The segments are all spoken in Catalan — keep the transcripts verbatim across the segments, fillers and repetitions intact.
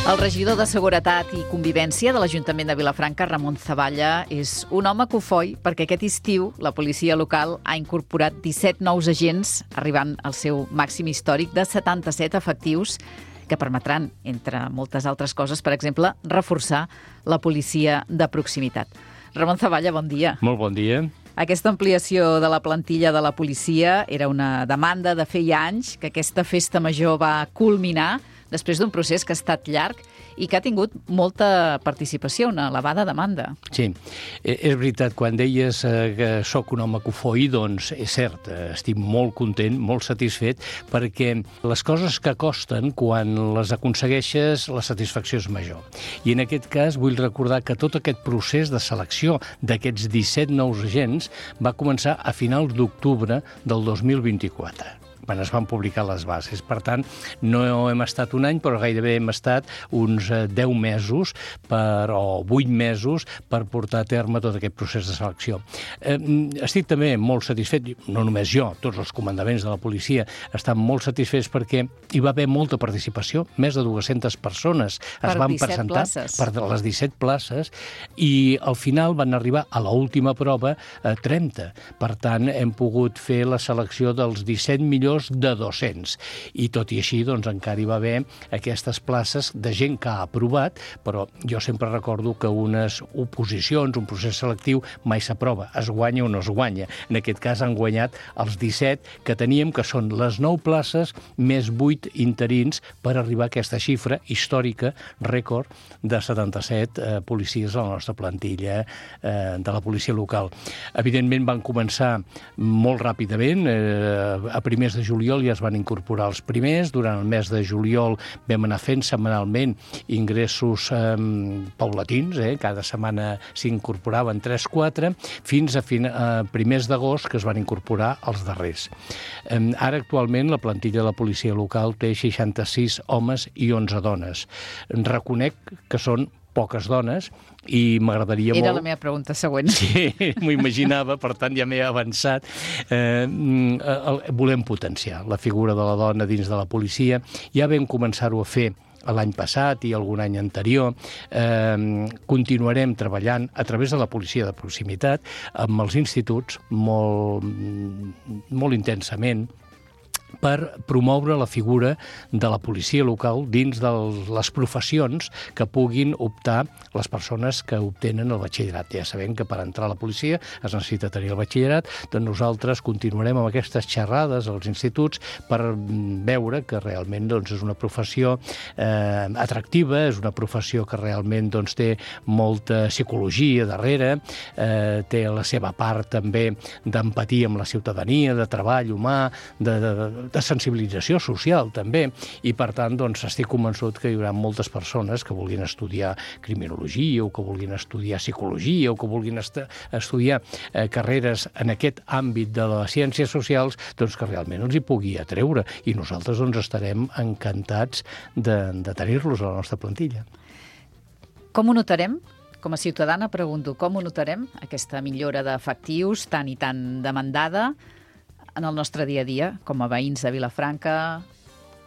El regidor de Seguretat i Convivència de l'Ajuntament de Vilafranca, Ramon Zavalla, és un home cofoi perquè aquest estiu la policia local ha incorporat disset nous agents, arribant al seu màxim històric de setanta-set efectius, que permetran, entre moltes altres coses, per exemple, reforçar la policia de proximitat. Ramon Zavalla, bon dia. Molt bon dia. Aquesta ampliació de la plantilla de la policia era una demanda de feia anys, que aquesta festa major va culminar després d'un procés que ha estat llarg i que ha tingut molta participació, una elevada demanda. Sí, és veritat, quan deies que sóc un home cofoi, doncs és cert, estic molt content, molt satisfet, perquè les coses que costen, quan les aconsegueixes, la satisfacció és major. I en aquest cas vull recordar que tot aquest procés de selecció d'aquests disset nous agents va començar a finals d'octubre del dos mil vint-i-quatre. quan es van publicar les bases. Per tant, no hem estat un any, però gairebé hem estat uns deu mesos per, o vuit mesos per portar a terme tot aquest procés de selecció. Eh, estic també molt satisfet, no només jo, tots els comandaments de la policia estan molt satisfets perquè hi va haver molta participació, més de dues-centes persones es van presentar per les disset places i al final van arribar a l'última prova a trenta. Per tant, hem pogut fer la selecció dels disset millors de dos-cents. I tot i així, doncs, encara hi va haver aquestes places de gent que ha aprovat, però jo sempre recordo que unes oposicions, un procés selectiu, mai s'aprova, es guanya o no es guanya. En aquest cas han guanyat els disset que teníem, que són les nou places més vuit interins per arribar a aquesta xifra històrica, rècord, de setanta-set eh, policies a la nostra plantilla eh, de la policia local. Evidentment van començar molt ràpidament, eh, a primers de juliol ja es van incorporar els primers, durant el mes de juliol vam anar fent setmanalment ingressos eh, paulatins, eh, cada setmana s'incorporaven tres quatre, fins a, fin a primers d'agost que es van incorporar els darrers. Eh, ara actualment la plantilla de la policia local té seixanta-sis homes i onze dones. Reconec que són poques dones i m'agradaria molt... Era la meva pregunta següent. Sí, m'ho imaginava, per tant ja m'he avançat. Eh, volem potenciar la figura de la dona dins de la policia. Ja vam començar-ho a fer l'any passat i algun any anterior. Eh, continuarem treballant a través de la policia de proximitat amb els instituts molt, molt intensament per promoure la figura de la policia local dins de les professions que puguin optar les persones que obtenen el batxillerat. Ja sabem que per entrar a la policia es necessita tenir el batxillerat, doncs nosaltres continuarem amb aquestes xerrades als instituts per veure que realment doncs, és una professió eh, atractiva, és una professió que realment doncs, té molta psicologia darrere, eh, té la seva part també d'empatia amb la ciutadania, de treball humà, de, de de sensibilització social, també, i per tant, doncs, estic convençut que hi haurà moltes persones que vulguin estudiar criminologia o que vulguin estudiar psicologia o que vulguin est estudiar eh, carreres en aquest àmbit de les ciències socials, doncs que realment els hi pugui atreure i nosaltres doncs, estarem encantats de, de tenir-los a la nostra plantilla. Com ho notarem? Com a ciutadana pregunto, com ho notarem, aquesta millora d'efectius tan i tan demandada en el nostre dia a dia, com a veïns de Vilafranca,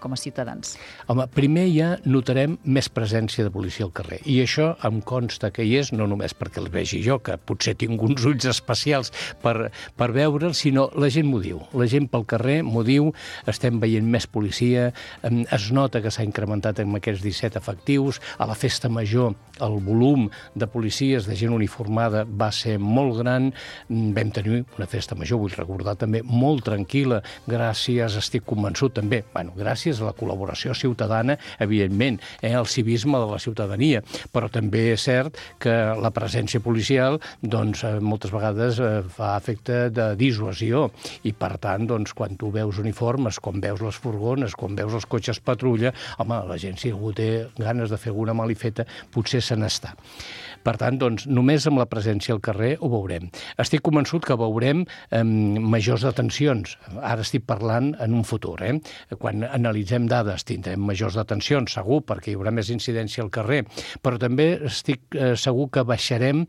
com a ciutadans? Home, primer ja notarem més presència de policia al carrer. I això em consta que hi és, no només perquè el vegi jo, que potser tinc uns ulls especials per, per veure'l, sinó la gent m'ho diu. La gent pel carrer m'ho diu, estem veient més policia, es nota que s'ha incrementat amb aquests disset efectius, a la festa major el volum de policies, de gent uniformada, va ser molt gran, vam tenir una festa major, vull recordar també, molt tranquil·la, gràcies, estic convençut també, bueno, gràcies a la col·laboració ciutadana, evidentment, eh, el civisme de la ciutadania, però també és cert que la presència policial doncs, moltes vegades eh, fa efecte de dissuasió i, per tant, doncs, quan tu veus uniformes, quan veus les furgones, quan veus els cotxes patrulla, home, la gent, si algú té ganes de fer alguna malifeta, potser se n'està. Per tant, doncs, només amb la presència al carrer ho veurem. Estic convençut que veurem eh, majors detencions. Ara estic parlant en un futur, eh? Quan analitzem analitzem dades, tindrem majors detencions, segur, perquè hi haurà més incidència al carrer, però també estic eh, segur que baixarem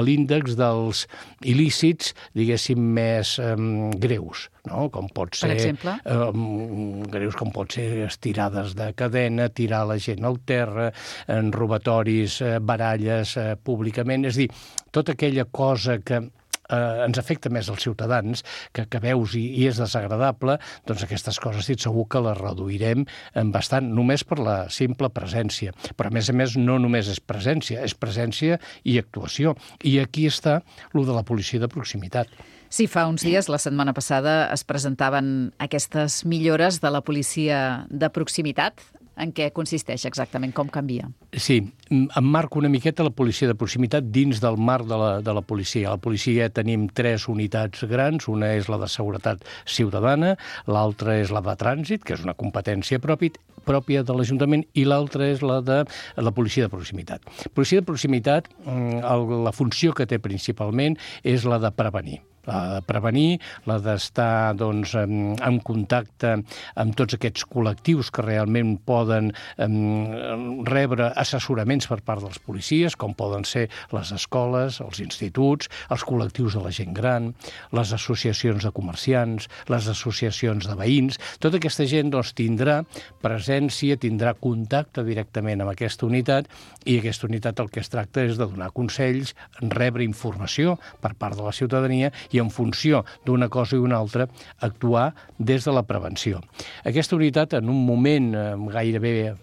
l'índex dels il·lícits, diguéssim, més eh, greus, no? Com pot ser, per exemple? Eh, greus com pot ser estirades de cadena, tirar la gent al terra, en robatoris, eh, baralles eh, públicament, és a dir, tota aquella cosa que Eh, ens afecta més als ciutadans, que, que veus i, i és desagradable, doncs aquestes coses estic segur que les reduirem bastant, només per la simple presència. Però, a més a més, no només és presència, és presència i actuació. I aquí està lo de la policia de proximitat. Sí, fa uns dies, la setmana passada, es presentaven aquestes millores de la policia de proximitat. En què consisteix exactament? Com canvia? Sí, em marco una miqueta la policia de proximitat dins del marc de la, de la policia. A la policia tenim tres unitats grans, una és la de seguretat ciutadana, l'altra és la de trànsit, que és una competència pròpia, pròpia de l'Ajuntament, i l'altra és la de la policia de proximitat. Policia de proximitat, la funció que té principalment és la de prevenir. La de prevenir, la d'estar doncs, en, en contacte amb tots aquests col·lectius que realment poden um, rebre assessoraments per part dels policies, com poden ser les escoles, els instituts, els col·lectius de la gent gran, les associacions de comerciants, les associacions de veïns. Tota aquesta gent doncs, tindrà presència, tindrà contacte directament amb aquesta unitat, i aquesta unitat el que es tracta és de donar consells, rebre informació per part de la ciutadania i en funció d'una cosa i una altra actuar des de la prevenció. Aquesta unitat en un moment eh, gairebé eh,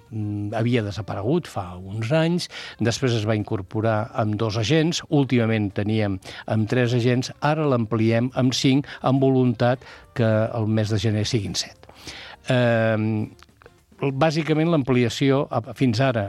havia desaparegut fa uns anys, després es va incorporar amb dos agents, últimament teníem amb tres agents, ara l'ampliem amb cinc, amb voluntat que el mes de gener siguin set. Eh, Bàsicament, l'ampliació fins ara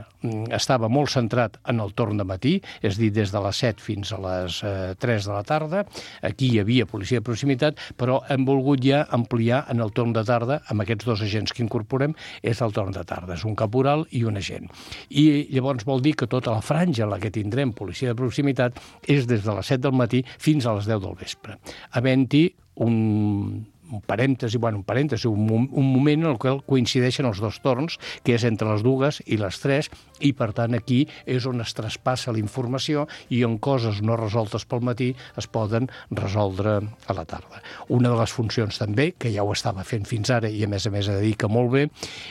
estava molt centrat en el torn de matí, és a dir, des de les set fins a les tres de la tarda. Aquí hi havia policia de proximitat, però hem volgut ja ampliar en el torn de tarda, amb aquests dos agents que incorporem, és el torn de tarda, és un caporal i un agent. I llavors vol dir que tota la franja en la que tindrem policia de proximitat és des de les set del matí fins a les deu del vespre, havent-hi un un parèntesi, bueno, un parèntesi, un, un moment en el qual coincideixen els dos torns, que és entre les dues i les tres, i per tant aquí és on es traspassa la informació i on coses no resoltes pel matí es poden resoldre a la tarda. Una de les funcions també, que ja ho estava fent fins ara i a més a més dedica molt bé,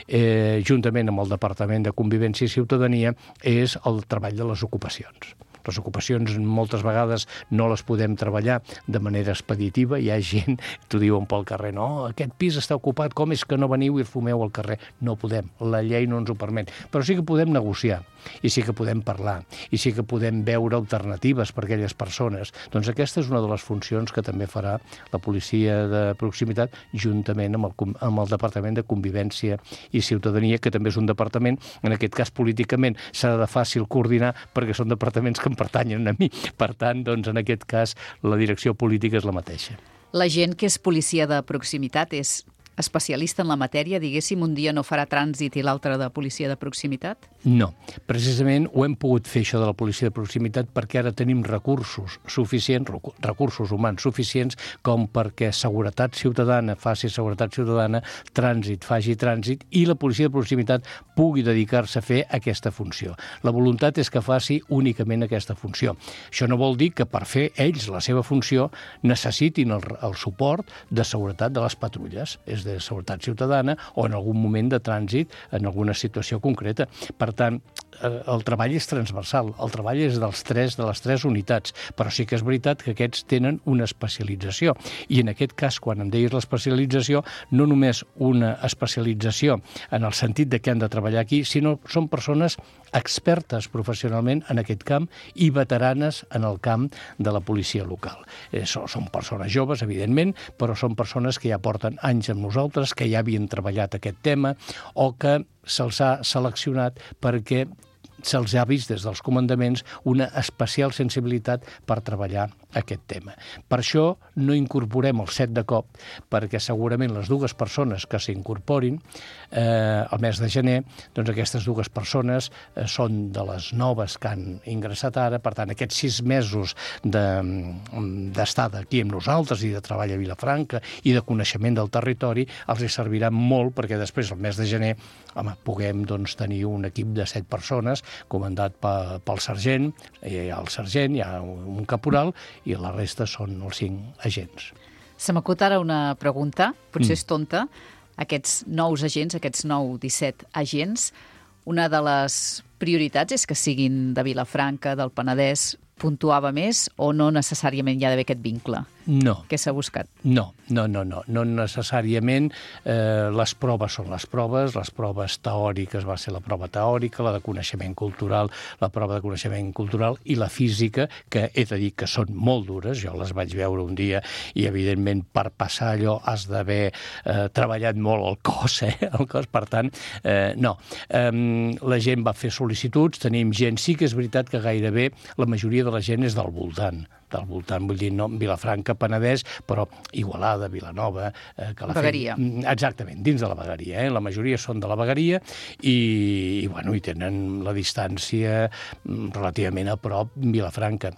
eh, juntament amb el Departament de Convivència i Ciutadania, és el treball de les ocupacions. Les ocupacions moltes vegades no les podem treballar de manera expeditiva. Hi ha gent, t'ho diuen pel carrer, no, aquest pis està ocupat, com és que no veniu i fumeu al carrer? No podem, la llei no ens ho permet. Però sí que podem negociar, i sí que podem parlar, i sí que podem veure alternatives per a aquelles persones. Doncs aquesta és una de les funcions que també farà la policia de proximitat juntament amb el, amb el Departament de Convivència i Ciutadania, que també és un departament, en aquest cas políticament s'ha de fàcil coordinar perquè són departaments que em pertanyen a mi. Per tant, doncs, en aquest cas, la direcció política és la mateixa. La gent que és policia de proximitat és especialista en la matèria, diguéssim, un dia no farà trànsit i l'altre de policia de proximitat? No. Precisament ho hem pogut fer, això de la policia de proximitat, perquè ara tenim recursos suficients, recursos humans suficients, com perquè seguretat ciutadana faci seguretat ciutadana, trànsit faci trànsit, i la policia de proximitat pugui dedicar-se a fer aquesta funció. La voluntat és que faci únicament aquesta funció. Això no vol dir que per fer ells la seva funció necessitin el, el suport de seguretat de les patrulles, és de seguretat ciutadana o en algun moment de trànsit en alguna situació concreta. Per tant, el treball és transversal, el treball és dels tres, de les tres unitats, però sí que és veritat que aquests tenen una especialització. I en aquest cas, quan em deies l'especialització, no només una especialització en el sentit de que han de treballar aquí, sinó són persones expertes professionalment en aquest camp i veteranes en el camp de la policia local. Eh, són persones joves, evidentment, però són persones que ja porten anys amb nosaltres, que ja havien treballat aquest tema o que se'ls ha seleccionat perquè se'ls ha vist des dels comandaments una especial sensibilitat per treballar aquest tema. Per això no incorporem els set de cop, perquè segurament les dues persones que s'incorporin eh, al mes de gener, doncs aquestes dues persones eh, són de les noves que han ingressat ara, per tant, aquests sis mesos d'estada de, aquí amb nosaltres i de treball a Vilafranca i de coneixement del territori els hi serviran molt perquè després, al mes de gener, home, puguem doncs, tenir un equip de set persones comandat pel, pel sergent, hi ha el sergent, hi ha un caporal i la resta són els cinc agents. Se m'acut ara una pregunta, potser mm. és tonta. Aquests nous agents, aquests nou disset agents, una de les prioritats és que siguin de Vilafranca, del Penedès, puntuava més o no necessàriament hi ha d'haver aquest vincle? No. Què s'ha buscat? No, no, no, no, no necessàriament. Eh, les proves són les proves, les proves teòriques va ser la prova teòrica, la de coneixement cultural, la prova de coneixement cultural i la física, que he de dir que són molt dures, jo les vaig veure un dia i evidentment per passar allò has d'haver eh, treballat molt el cos, eh, el cos, per tant, eh, no. Eh, la gent va fer sol·licituds, tenim gent, sí que és veritat que gairebé la majoria de la gent és del voltant, del voltant, vull dir, no Vilafranca, Penedès, però Igualada, Vilanova... Eh, que la Vegueria. Fe... Exactament, dins de la vegueria. Eh? La majoria són de la vegueria i, i, bueno, i tenen la distància relativament a prop Vilafranca.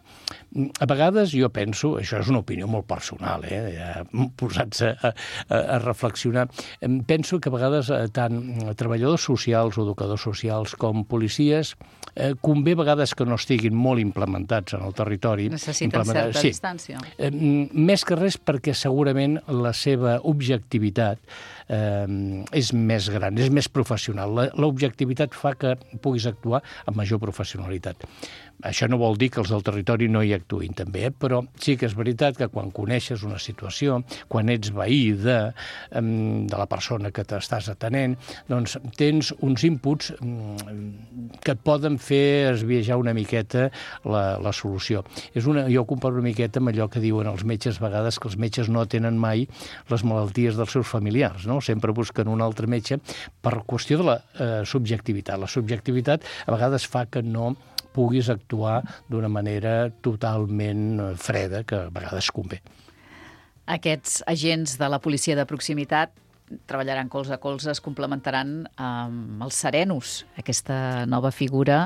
A vegades jo penso, això és una opinió molt personal, eh? Ja, posats a, a, a reflexionar, penso que a vegades tant treballadors socials o educadors socials com policies eh, convé a vegades que no estiguin molt implementats en el territori. Necessiten certa sí. distància. Eh, més que res perquè segurament la seva objectivitat eh, és més gran, és més professional. L'objectivitat fa que puguis actuar amb major professionalitat. Això no vol dir que els del territori no hi actuïn també, eh? Però sí que és veritat que quan coneixes una situació, quan ets veí de, de la persona que t'estàs atenent, doncs tens uns inputs que et poden fer esbiaixar una miqueta la, la solució. És una, jo ho comparo una miqueta amb allò que diuen els metges a vegades, que els metges no tenen mai les malalties dels seus familiars, no? Sempre busquen un altre metge per qüestió de la eh, subjectivitat. La subjectivitat a vegades fa que no puguis actuar d'una manera totalment freda, que a vegades convé. Aquests agents de la policia de proximitat treballaran colze a colze, es complementaran amb els serenos, aquesta nova figura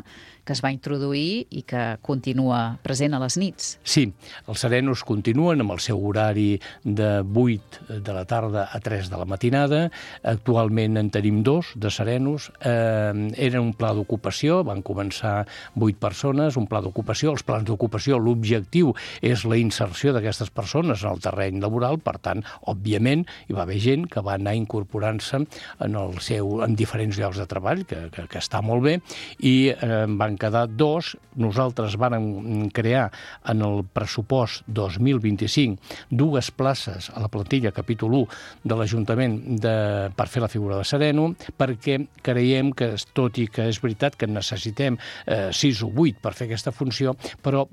que es va introduir i que continua present a les nits. Sí, els serenos continuen amb el seu horari de vuit de la tarda a tres de la matinada. Actualment en tenim dos de serenos. Eh, era un pla d'ocupació, van començar vuit persones, un pla d'ocupació. Els plans d'ocupació, l'objectiu és la inserció d'aquestes persones en el terreny laboral, per tant, òbviament, hi va haver gent que va anar incorporant-se en, el seu, en diferents llocs de treball, que, que, que està molt bé, i eh, van quedar dos. Nosaltres vàrem crear en el pressupost dos mil vint-i-cinc dues places a la plantilla capítol u de l'Ajuntament de, per fer la figura de sereno, perquè creiem que, tot i que és veritat que necessitem eh, sis o vuit per fer aquesta funció, però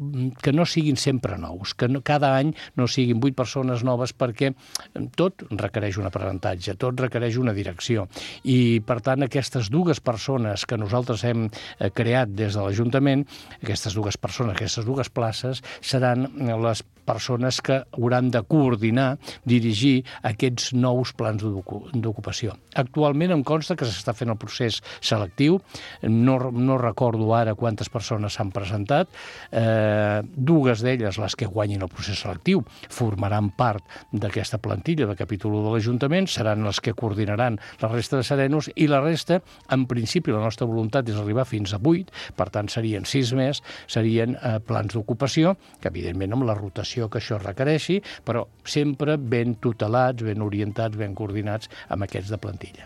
que no siguin sempre nous, que no, cada any no siguin vuit persones noves, perquè tot requereix un aprenentatge, tot requereix una direcció. I, per tant, aquestes dues persones que nosaltres hem eh, creat des de l'Ajuntament, aquestes dues persones, aquestes dues places, seran les persones que hauran de coordinar, dirigir aquests nous plans d'ocupació. Actualment em consta que s'està fent el procés selectiu, no, no recordo ara quantes persones s'han presentat, eh, dues d'elles, les que guanyin el procés selectiu, formaran part d'aquesta plantilla de capítol u de l'Ajuntament, seran les que coordinaran la resta de serenos, i la resta, en principi, la nostra voluntat és arribar fins a vuit, per tant serien sis més, serien eh, plans d'ocupació, que evidentment amb la rotació que això requereixi, però sempre ben tutelats, ben orientats, ben coordinats amb aquests de plantilla.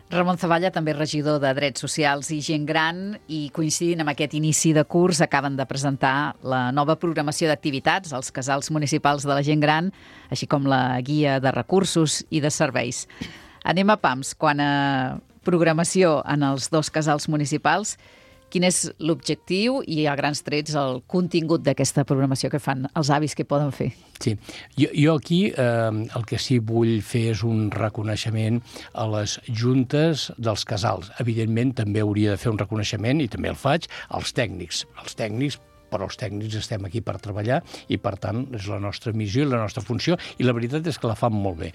Ramon Zavalla, també regidor de Drets Socials i Gent Gran, i coincidint amb aquest inici de curs acaben de presentar la nova programació d'activitats als casals municipals de la gent gran, així com la guia de recursos i de serveis. Anem a pams. Quan a programació en els dos casals municipals, quin és l'objectiu i, a grans trets, el contingut d'aquesta programació que fan els avis que poden fer? Sí, jo, jo aquí eh, el que sí vull fer és un reconeixement a les juntes dels casals. Evidentment, també hauria de fer un reconeixement, i també el faig, als tècnics. Els tècnics però els tècnics estem aquí per treballar i, per tant, és la nostra missió i la nostra funció, i la veritat és que la fan molt bé.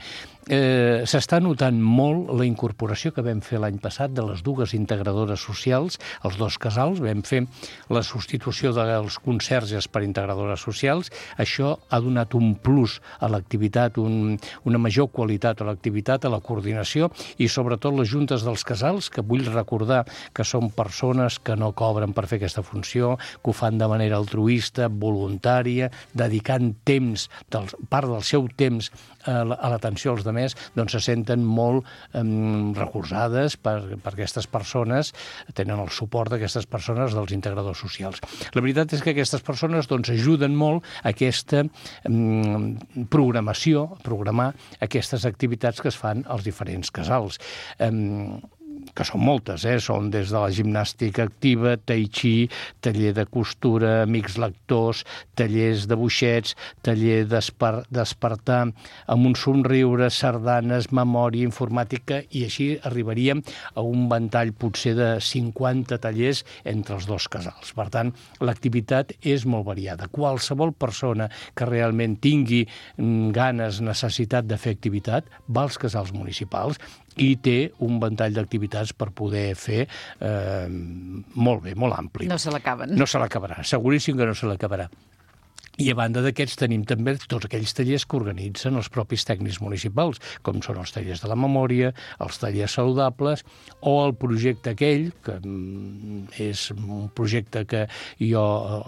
Eh, S'està notant molt la incorporació que vam fer l'any passat de les dues integradores socials, els dos casals, vam fer la substitució dels conserges per integradores socials. Això ha donat un plus a l'activitat, un, una major qualitat a l'activitat, a la coordinació, i sobretot les juntes dels casals, que vull recordar que són persones que no cobren per fer aquesta funció, que ho fan de manera altruista, voluntària, dedicant temps, del, part del seu temps a l'atenció als demés, doncs se senten molt eh, recolzades per, per aquestes persones, tenen el suport d'aquestes persones, dels integradors socials. La veritat és que aquestes persones doncs, ajuden molt a aquesta eh, programació, a programar aquestes activitats que es fan als diferents casals. Eh, que són moltes, eh? Són des de la gimnàstica activa, tai chi, taller de costura, amics lectors, tallers de boixets, taller despertar, amb un somriure, sardanes, memòria, informàtica, i així arribaríem a un ventall potser de cinquanta tallers entre els dos casals. Per tant, l'activitat és molt variada. Qualsevol persona que realment tingui ganes, necessitat de fer activitat, va als casals municipals i té un ventall d'activitats per poder fer eh, molt bé, molt ampli. No se l'acaben. No se l'acabarà, seguríssim que no se l'acabarà. I a banda d'aquests tenim també tots aquells tallers que organitzen els propis tècnics municipals, com són els tallers de la memòria, els tallers saludables, o el projecte aquell, que és un projecte que jo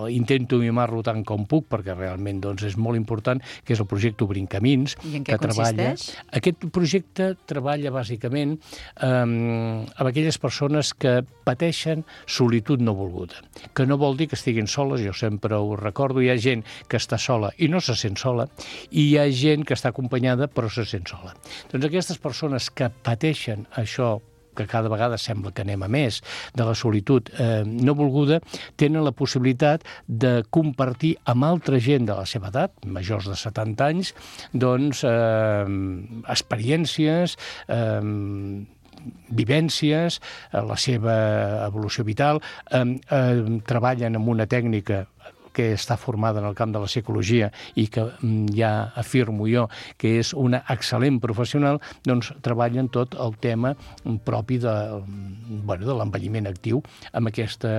intento mimar-lo tant com puc, perquè realment doncs, és molt important, que és el projecte Obrint Camins. I en què consisteix? Treballa... Aquest projecte treballa bàsicament eh, amb aquelles persones que pateixen solitud no volguda, que no vol dir que estiguin soles, jo sempre ho recordo, hi ha gent que està sola i no se sent sola, i hi ha gent que està acompanyada però se sent sola. Doncs aquestes persones que pateixen això, que cada vegada sembla que anem a més, de la solitud eh, no volguda, tenen la possibilitat de compartir amb altra gent de la seva edat, majors de setanta anys, doncs eh, experiències, eh, vivències, la seva evolució vital, eh, eh, treballen amb una tècnica que està formada en el camp de la psicologia i que ja afirmo jo que és una excel·lent professional, doncs treballen tot el tema propi de, bueno, de l'envelliment actiu amb aquesta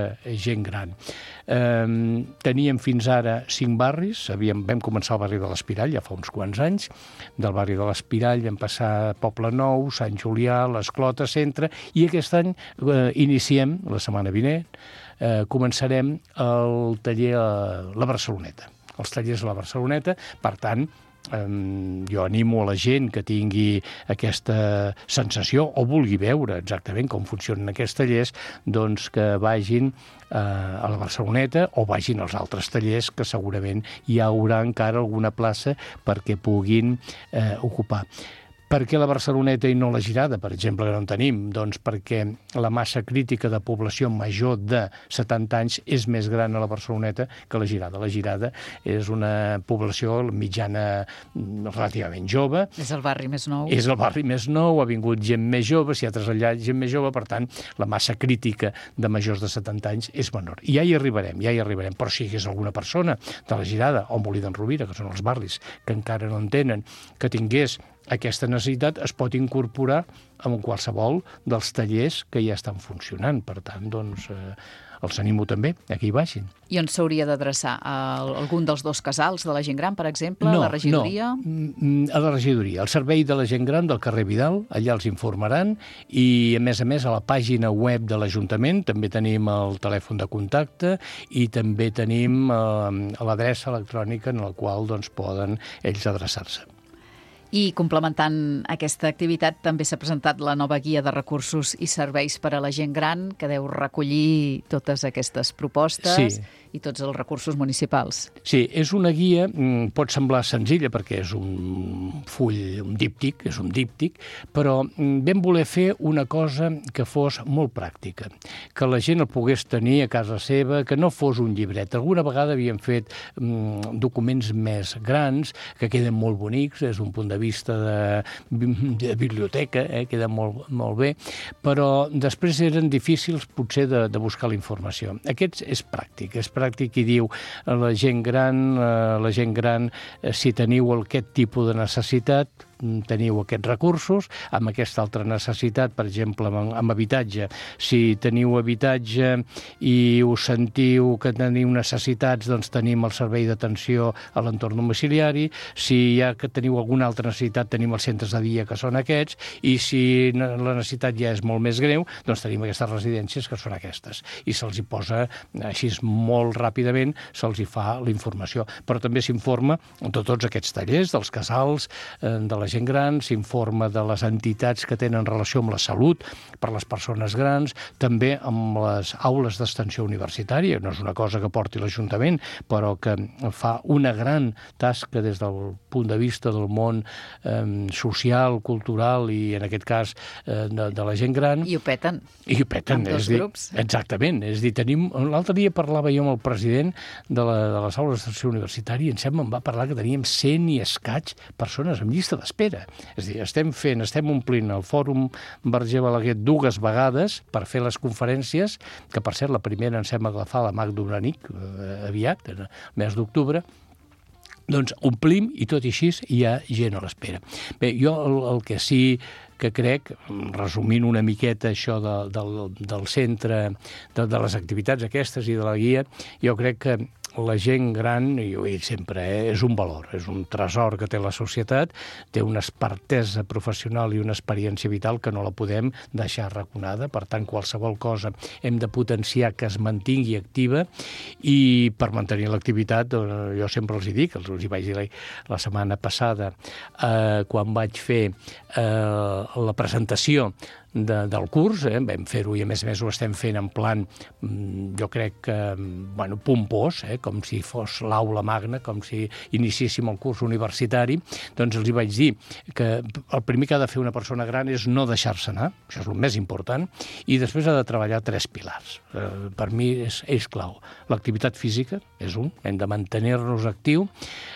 gent gran. Eh, teníem fins ara cinc barris, havíem, vam començar al barri de l'Espirall ja fa uns quants anys, del barri de l'Espirall vam passar a Poble Nou, Sant Julià, l'Esclota, Centre, i aquest any eh, iniciem, la setmana vinent, Eh, començarem el taller a la Barceloneta, els tallers a la Barceloneta. Per tant, eh, jo animo a la gent que tingui aquesta sensació o vulgui veure exactament com funcionen aquests tallers, doncs que vagin eh, a la Barceloneta o vagin als altres tallers, que segurament hi haurà encara alguna plaça perquè puguin eh, ocupar. Per què la Barceloneta i no la Girada, per exemple, que no en tenim? Doncs perquè la massa crítica de població major de setanta anys és més gran a la Barceloneta que a la Girada. La Girada és una població mitjana relativament jove. És el barri més nou. És el barri més nou, ha vingut gent més jove, s'hi ha traslladat gent més jove, per tant, la massa crítica de majors de setanta anys és menor. I ja hi arribarem, ja hi arribarem. Però si hi hagués alguna persona de la Girada o Molí d'en Rovira, que són els barris que encara no en tenen, que tingués aquesta necessitat, es pot incorporar en qualsevol dels tallers que ja estan funcionant. Per tant, doncs, eh, els animo també a que hi vagin. I on s'hauria d'adreçar? A algun dels dos casals de la gent gran, per exemple? No, a la regidoria? No, a la regidoria. El servei de la gent gran del carrer Vidal, allà els informaran, i a més a més a la pàgina web de l'Ajuntament també tenim el telèfon de contacte i també tenim eh, l'adreça electrònica en la qual doncs, poden ells adreçar-se. I complementant aquesta activitat també s'ha presentat la nova guia de recursos i serveis per a la gent gran, que deu recollir totes aquestes propostes sí. i tots els recursos municipals. Sí, és una guia, pot semblar senzilla perquè és un full, un díptic, és un díptic, però vam voler fer una cosa que fos molt pràctica, que la gent el pogués tenir a casa seva, que no fos un llibret. Alguna vegada havíem fet mm, documents més grans, que queden molt bonics des d'un punt de de vista de, de biblioteca, eh, queda molt, molt bé, però després eren difícils potser de, de buscar la informació. Aquest és pràctic, és pràctic i diu la gent gran, la gent gran, si teniu aquest tipus de necessitat, teniu aquests recursos, amb aquesta altra necessitat, per exemple, amb, amb habitatge. Si teniu habitatge i us sentiu que teniu necessitats, doncs tenim el servei d'atenció a l'entorn domiciliari. Si hi ha que teniu alguna altra necessitat, tenim els centres de dia, que són aquests, i si la necessitat ja és molt més greu, doncs tenim aquestes residències, que són aquestes. I se'ls hi posa, així molt ràpidament, se'ls hi fa la informació. Però també s'informa de tots aquests tallers, dels casals, de la gent gran, s'informa de les entitats que tenen relació amb la salut per les persones grans, també amb les aules d'extensió universitària. No és una cosa que porti l'Ajuntament, però que fa una gran tasca des del punt de vista del món eh, social, cultural i, en aquest cas, eh, de, de la gent gran. I ho peten. I ho peten. Amb dos és dir, grups. Exactament. És dir, tenim... L'altre dia parlava jo amb el president de, la, de les aules d'extensió universitària i em sembla em va parlar que teníem cent i escaig persones en llista d'espera. És a dir, estem fent, estem omplint el Fòrum Verger Balaguer dues vegades per fer les conferències, que per cert la primera em sembla que la fa la Magda Unanic eh, aviat, en el mes d'octubre. Doncs omplim i tot i així hi ha gent a l'espera. Bé, jo el, el que sí que crec, resumint una miqueta això de, del, del centre, de, de les activitats aquestes i de la guia, jo crec que la gent gran, i ho he dit sempre, eh, és un valor, és un tresor que té la societat, té una expertesa professional i una experiència vital que no la podem deixar arraconada. Per tant, qualsevol cosa hem de potenciar que es mantingui activa i per mantenir l'activitat, jo sempre els hi dic, els hi vaig dir la setmana passada, eh, quan vaig fer eh, la presentació De, del curs, eh? Vam fer-ho i a més a més ho estem fent en plan, jo crec que, bueno, pompós, eh? Com si fos l'aula magna, com si iniciéssim el curs universitari, doncs els hi vaig dir que el primer que ha de fer una persona gran és no deixar-se anar, això és el més important, i després ha de treballar tres pilars. Eh, per mi és, és clau. L'activitat física és un, hem de mantenir-nos actiu,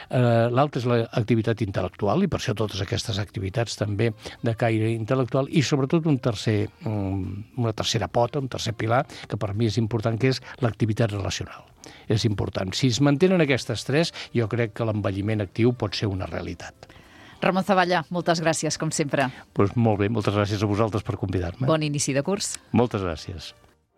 eh, l'altre és l'activitat intel·lectual, i per això totes aquestes activitats també de caire intel·lectual, i sobretot un tercer, una tercera pota, un tercer pilar, que per mi és important, que és l'activitat relacional. És important. Si es mantenen aquestes tres, jo crec que l'envelliment actiu pot ser una realitat. Ramon Zavalla, moltes gràcies, com sempre. Pues molt bé, moltes gràcies a vosaltres per convidar-me. Bon inici de curs. Moltes gràcies.